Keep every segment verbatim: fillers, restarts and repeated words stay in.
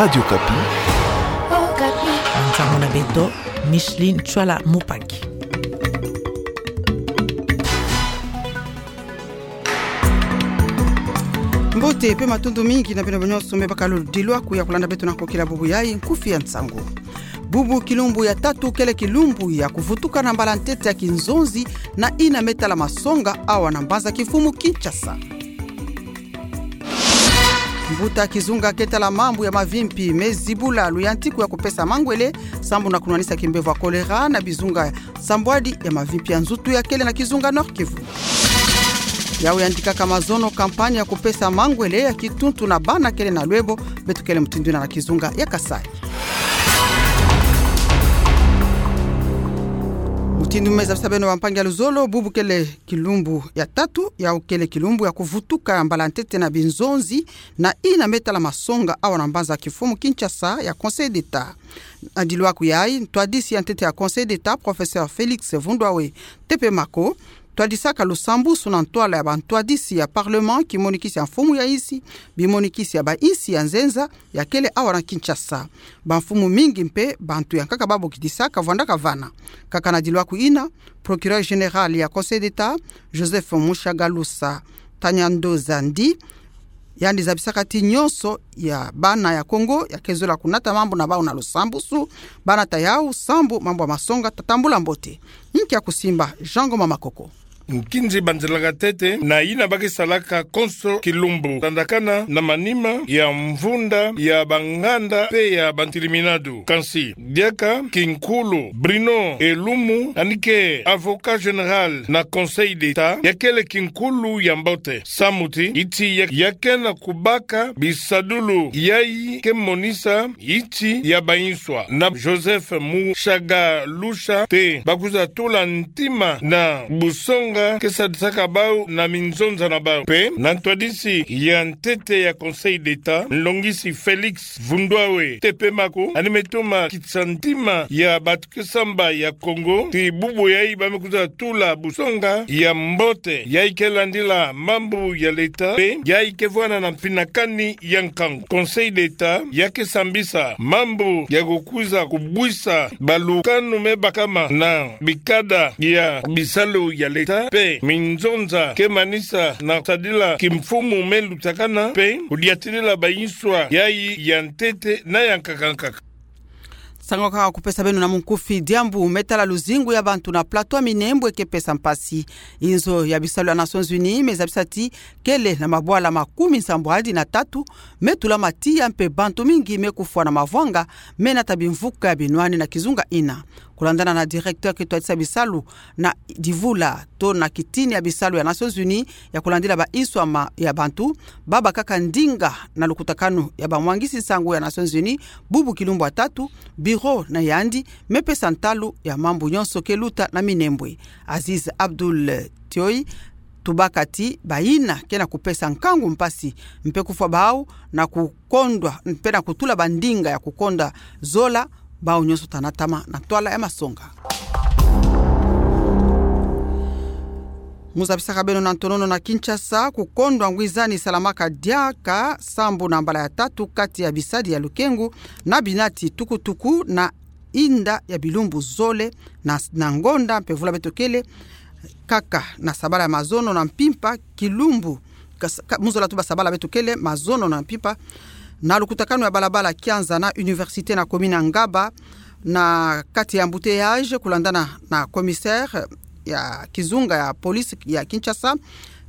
Radio Okapi. Okapi. Nsangu na beto, Micheline Chwala Mupangi. Mbote pe matondo mingi na beno nyonso me baka lo dilwaku ya kulanda beto na kokila bubu yayi nkufi ya nsangu. Bubu kilumbu ya tatu kele kilumbu ya kuvutuka na mbala ntete ya kinzonzi na ina me tala masonga awa na mbanza kimfumu Kinshasa. Mbuta kizunga ke tala mambu ya mavimpi me zibula luyantiku ya kupesa mangwele sambu na kunwanisa kimbevo ya kolera na bizunga sambwadi ya mavimpi ya nzutu ya kele na kizunga Nord-Kivu. Yau yandikaka mazono kampanye ya kupesa mangwele ya kituntu na bana kele na lwebo, beto kele mutindu ina na kizunga ya Kasaï. Mutindu me zabisa beno bampangi ya luzolo, bubu kele kilumbu ya tatu, yau kele kilumbu ya kuvutuka mbala ntete na binzonzi na ina me tala masonga awa na mbanza kimfumu Kinshasa ya Conseil d'État. Na dilwaku yayi, ntwadisi ya ntete ya Conseil d'État, professeur Félix Vundwawe Tepemako, twadisaka lusambusu na ntwala ya bantwadisi ya Parlement, kimonikisi ya mfumu ya insi, bimonikisi ya bainsi ya nzenza ya kele awa na Kinshasa. Bamfumu mingi mpe bantu ya nkaka babokidisaka vwandaka vana. Kaka na dilwaku ina, procureur général ya Conseil d'État, Joseph Mushagalusa Tanyando Zandi, yandi zabisaka ti nyonso ya bana ya Kongo ya ke zola kunata mambu na bau na lusambusu, banata yau sambu mambu ya masonga ta tambula mbote. Nki ya kusimba, Jean Ngoma Makoko. Nkinzi banzelaka ntete na ina ba ke salaka konso kilumbu, landakana na manima ya mvunda ya banganda pe ya bantiliminadu. Kansi diaka kinkulu Bruno Elumu, yandi ke avocat général na Conseil d'État, ya kele kinkulu ya mbote. Samu ti, iti ya, ya ke na kubaka bisadulu yayi ke monisa iti ya bainswa. Na Joseph Mushagalusa te ba kwiza tula ntima na busonga ke sadisaka bau na minzonza na bau. Pe na ntwadisi ya ntete ya Conseil d'État, nlongisi Félix Vundwawe Tepemako, yandi me toma kisa ntima ya batu ke samba ya Kongo ti bubu yayi ba me kwiza tula busonga ya mbote, yayi ke landila mambu ya leta, pe yayi ke vwanda na mpinakani ya nkangu. Conseil d'État ya ke sambisa mambu ya kukwiza kubwisa balukanu me bakama na bikada ya bisalu ya leta, pe minzonza ke manisa na sadila kimfumu me lutakana, pe kudiatila bainswa yayi ya ntete na ya nkaka nkaka. Nsangu kaka kupesa beno na munkufi. Diambu me tala luzingu ya bantu na plateau ya Minembwe ke pesa mpasi. Inzo ya bisalu ya Nations Unies me zabisa ti kele na mabwala makumi nsambwadi na tatu me tulama tiya mpe bantu mingi me kufwa na mavwanga me nata bimvuka ya binwani na kizunga ina. Kulandana na directeur ke twadisa bisalu na divula to na kitini ya bisalu ya Nations Unies ya kulandila bainswa ma ya bantu, ba bakaka ndinga na lukutakanu ya bamwangisi nsangu ya Nations Unies, bubu kilumbu ya tatu, bureau na yandi me pesa ntalu ya mambu nyonso ke luta na Minembwe. Aziz Abdoul Tioi tubaka ti bayina ke na kupesa nkangu mpasi mpe kufwa bau na kukondwa mpe na kutula bandinga ya kukondwa zola bau nyonso ta natama na ntwala ya masonga. Mu zabisaka beno na ntonono na Kinshasa, kukondwa ngwizani salamaka diaka sambu na mbala ya tatu kati ya bisadi ya lukengu na binati tukutuku na inda ya bilumbu zole na, na ngonda mpe vula beto kele, kaka na sabala ya mazono na mpimpa kilumbu, kas-, ka-, mu zola tuba sabala beto kele mazono na mpimpa, na lukutakanu ya balabala Kianza na Université na commune ya Ngaba, na kati ya embouteillage, kulandana na commissaire ya kizunga ya police ya Kinshasa,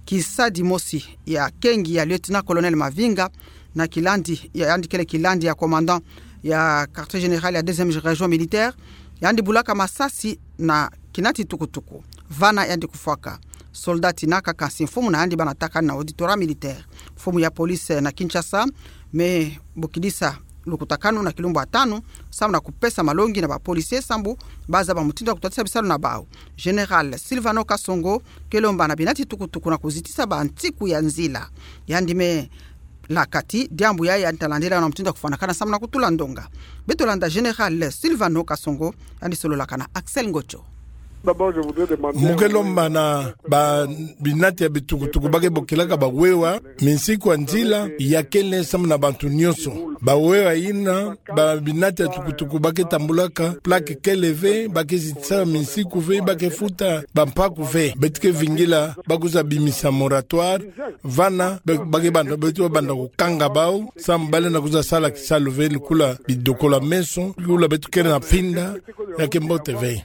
kisadi mosi ya kengi ya lieutenant-colonel Mavinga, na kilandi ya, yandi kele kilandi ya commandant ya quartier général ya deuxième région militaire, yandi bulaka masasi na kinati tukutuku. Vana yandi kufwaka. Soldat tina kaka nsi mfumu na yandi bana takani na auditorat militaire. Mfumu ya police na Kinshasa me bokidisa lukutakanu na kilumbu ya tanu, sambu na kupesa malongi na ba policiers sambu ba zaba mutindu ya kutwadisa bisalu na bau. Général Sylvano Kasongo ke lomba na binati tukutuku na kuzitisa bantiku ya nzila. Yandi me laka ti diambu yayi yandi ta landila na mutindu ya kufwanakana sambu na kutula ndonga. Beto landa Général Sylvano Kasongo, yandi sololaka na Axel Ngocho. Mu ke lomba na babinati ya bitukutuku ba ke bokilaka bawewa minsiku ya nzila ya kele samu na bantu nyonso. Bawewa yina, babinati ya tukutuku ba ke tambulaka, plaque kele ve, ba ke zitisa minsiku ve, ba ke futa bampaku ve. Beto ke vingila ba kwiza bimisa moratoire, vana be-, ba ke banda, beto banda kukanga bau, samu ba lenda kwiza sala kisalu ve, lukula bidokola meso, lukula beto kele na finda, ya ke mbote ve.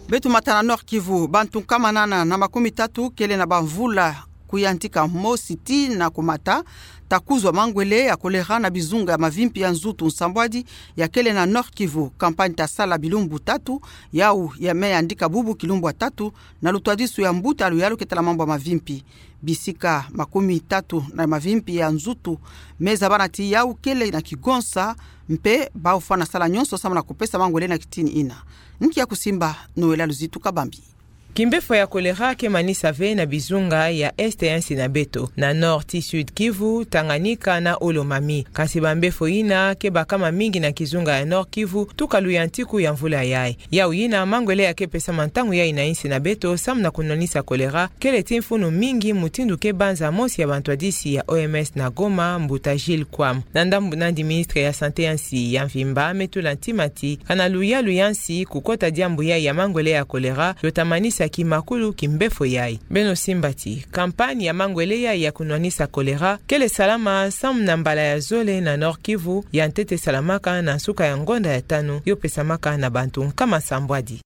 Beto mata na Nord-Kivu, bantu nkama nana na makumi tatu kele na bamvula kuyantika mosi tii na kumata, ta kuzwa mangwele ya kolera na bizunga ya mavimpi ya nzutu nsambwadi ya kele na Nord-Kivu. Kampani ta sala bilumbu tatu, yau ya me yandika bubu kilumbu ya tatu, na lutwadisu ya mbuta ya luyalu ke tala mambu ya mavimpi. Bisika makumi tatu na mavimpi ya nzutu me zabana ti yau kele na kigonsa, mpe bau fwana sala nyonso samu na kupesa mangwele na kitini ina. Nki ya kusimba? Noëlla Luzitu Kabambi. Kimbefo ya kolera ke manisa ve na bizunga ya Est ya nsi na beto, na Nord tii Sud-Kivu, Tanganyika na Haut-Lomami. Kansi bambefo yina ke baka mamingi na kizunga ya Nord-Kivu tuka luyantiku ya mvula yayi. Yau yina, mangwele ya ke pesama ntangu yayi na nsi na beto samu na kunwanisa kolera kele ti mfunu mingi, mutindu ke banza mosi ya bantwadisi ya O M S na Goma, mbuta Gilles Kouam. Na ndambu nandi, ministre ya Santé ya nsi ya mvimba me tula ntima ti kana luyalu ya nsi kukota diambu yayi ya mangwele ya kolera yo ta manisa kimakulu kimbefo yayi. Beno simba ti kampani ya mangwele yayi ya kunwanisa kolera kele salama samu na mbala ya zole na Nord-Kivu, ya ntete salamaka na nsuka ya ngonda ya tanu, yo pesamaka na bantu nkama nsambwadi.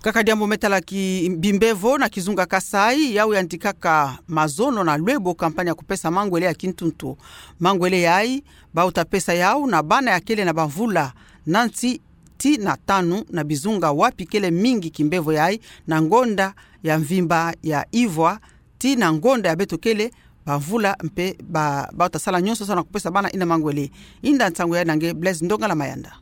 Kaka diambu me tala ki-, bimbevo na kizunga Kasaï, yau yandikaka mazono na lwebo kampani ya kupesa mangwele ya kintuntu. Mangwele yayi bau ta pesa yau na bana ya kele na bamvula nanti tii na tanu na bizunga wapi kele mingi kimbevo yayi, na ngonda ya mvimba ya Ivwa tii na ngonda ya beto kele, bamvula mpe ba, bau ta sala nyonso samu na kupesa bana ina mangwele. Inda nsangu yayi na nge Blaise Ndongala Mayanda.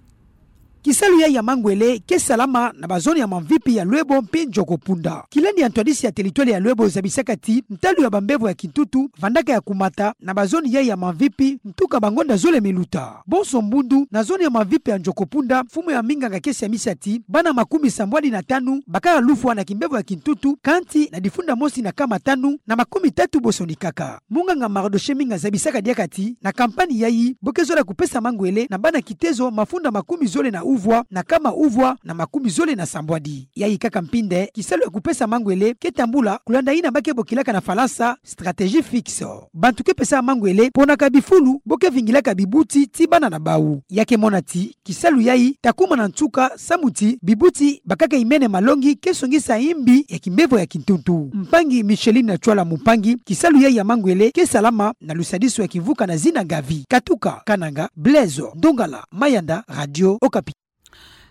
Kisalu yayi ya mangwele ke salama na bazone ya mamvipi ya Lwebo mpe Ndjokopunda. Kilandi ya ntwadisi ya territoire ya Lwebo zabisaka ti ntalu ya bambevo ya kintuntu vandaka ya kumata na bazone yayi ya mamvipi ntuka bangonda zole me luta. Bonso mbundu, na zone ya mamvipi ya Ndjokopunda, mfumu ya minganga ke siamisa ti bana makumi sambwadi na tanu bakaka lufwa na kimbevo ya kintuntu, kanti na difunda mosi na nkama tanu na makumi tatu bo sonikaka. Munganga Mardochée Minga zabisaka diaka ti na kampani yayi bo ke zola kupesa mangwele na bana kitezo mafunda makumi zole na uvwa na nkama uvwa na makumi zole na sambwadi. Yayi kaka mpinde kisalu ya kupesa mangwele ke tambula, kulanda yina ba ke bokilaka na Falansa stratégie fixe. Bantu ke pesa mangwele ponaka bifulu bo ke vingilaka bibuti ti bana na bau. Ya ke mona ti kisalu yayi ta kuma na nsuka samu ti bibuti bakaka imene malongi ke songisa imbi ya kimbevo ya kintuntu. Mpangi Micheline Natchwala Mumpangi, kisalu yayi ya mangwele ke salama na lusadisu ya kivuka na zina Gavi. Katuka Kananga, Blaise Ndongala Mayanda, Radio Okapi.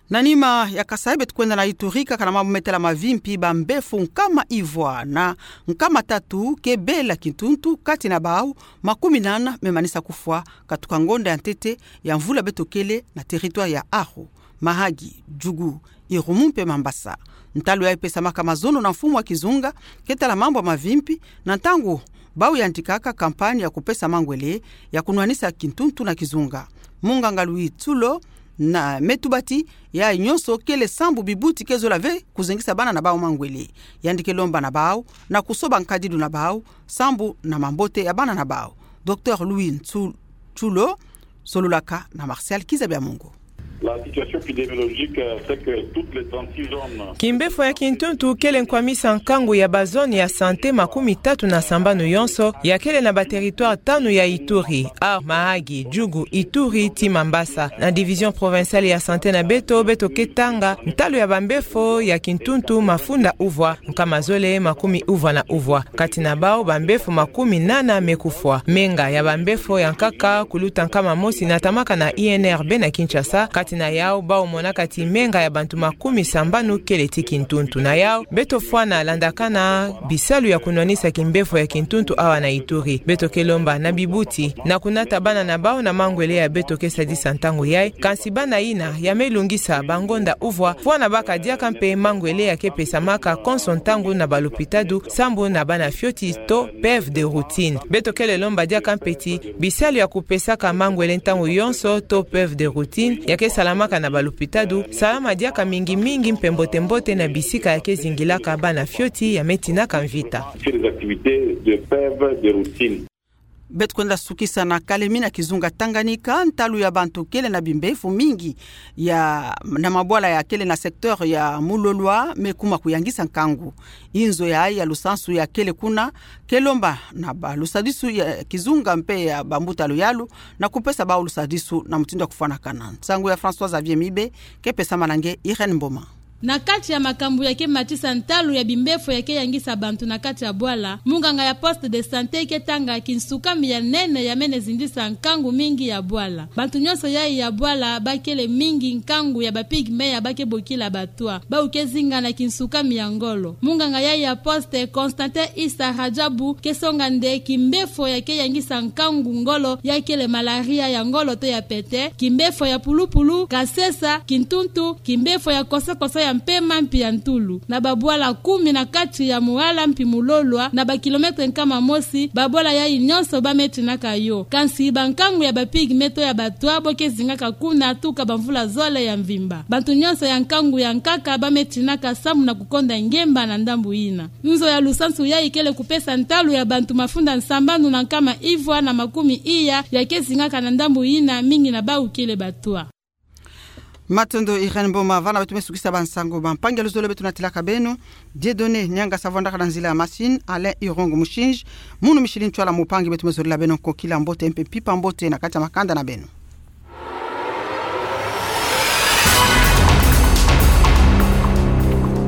Na nima ya Kasaï, beto kwenda na Ituri, kaka na mambu me tala mavimpi, bambevo nkama ivwa na nkama tatu ke bela kintuntu, kati na bau makumi nana me manisa kufwa katuka ngonda ya ntete ya mvula beto kele na territoire ya Aru, Mahagi, Djugu, Irumu mpe Mambasa. Ntalu yayi pesamaka mazono na mfumu wa kizunga ke tala mambu ya mavimpi, na ntangu bau yandikaka kampani ya kupesa mangwele ya kunwanisa kintuntu na kizunga. Munganga Louis Tsulo na me tuba ti yayi nyonso kele sambu bibuti ke zola ve kuzengisa bana na bau mangwele. Yandi ke lomba na bau na kusoba nkadilu na bau sambu na mambote ya bana na bau. Docteur Louis Ntsu-, Tsulo, sololaka na Martial Kiza Biamungu. La situation épidémiologique, euh, fait que toutes les trente-six zones... Kimbefo ya kintuntu kele nkwamisa nkangu ya bazone ya santé makumi tatu na sambanu yonso ya kele na ba territoire tanu ya Ituri, Aru, Mahagi, Djugu, Ituri ti Mambasa. Na division provinciale ya santé na beto, beto ke tanga ntalu ya bambefo ya kintuntu mafunda uvwa, nkama zole makumi uvwa na uvwa. Kati na bau, bambefo makumi nana me kufwa. Menga ya bambefo ya nkaka kuluta nkama mosi natamaka na I N R B na Kinshasa, kati Kati na yau, bau monaka ti menga ya bantu makumi sambanu kele ti kintuntu. Na yau, beto fwana landakana bisalu ya kunwanisa kimbefo ya kintuntu awa na Ituri. Beto ke lomba na bibuti na kunata bana na bau na mangwele ya beto ke sadisa ntangu yai, kansi bana ina ya me lungisa bangonda uvwa, fwana baka diaka mpe mangwele ya ke pesamaka konso ntangu na balopitadu, sambu na bana fioti to P E V de routine. Beto kele lomba diaka mpe ti bisalu ya kupesaka mangwele ntangu yonso to P E V de routine ya ke salamaka na balopitadu, salama diaka mingi mingi mpe mbote mbote na bisika ya ke zingilaka bana fioti ya me tinaka mvita. Sur les activités de P E V de routine. Beto kwenda sukisa na kalemi na kizunga Tanganyika. Ntalu ya bantu kele na bimbefo mingi ya, na mabwala ya kele na secteur ya Mulolwa me kuma kuyangisa nkangu. Inzo ya, ya lusansu ya kele kuna ke lomba na balusadisu ya kizunga mpe ya bambuta luyalu na kupesa bau lusadisu na mutindu ya kufwanakana. Nsangu ya François Xavier Mibe, ke pesama na nge Irène Mboma. Na kati ya makambu ya ke matisa ntalu ya bimbefo ya ke yangisa bantu na kati ya bwala, munganga ya poste de santé ke tanga kinsukami ya nene ya mene zindisa nkangu mingi ya bwala. Bantu nyonso yai ya bwala ba kele mingi nkangu ya ba pygmée ya ba ke bokila batwa, bau ke zinga na kinsukami ya ngolo. Munganga yai ya poste, Constantin Issa Radjabu, ke songa nde kimbefo ya ke yangisa nkangu ngolo ya kele malaria ya ngolo to ya pete, kimbefo ya pulupulu, kasesa, kintuntu, kimbefo ya kosokoso ya mpema mpi ya ntulu. Na babwala kumi na kati ya Muhala mpi Mulolwa, na ba kilomètre nkama mosi, babwala yai nyonso ba me tinaka yo. Kansi bankangu ya ba pygmée to ya batwa bo ke zingaka kuna tuka bamvula zole ya mvimba. Bantu nyonso ya nkangu ya nkaka ba me tinaka samu na kukonda ngemba na ndambu ina. Nzo ya lusansu yai kele kupesa ntalu ya bantu mafunda nsambanu na nkama ivwa na makumi iya ya ke zingaka na ndambu ina, mingi na bau kele batwa. Matondo Irène Mboma. Vana beto me sukisa bansangu. Bampangi ya luzolo beto natilaka beno, Dieudonné Niangasa vandaka na nzila ya machine, Alain Irongo Mushinji, munu Micheline Ntwala mpangi beto me zolila beno nkokila mbote mpe mpimpa mbote na kati ya makanda na beno.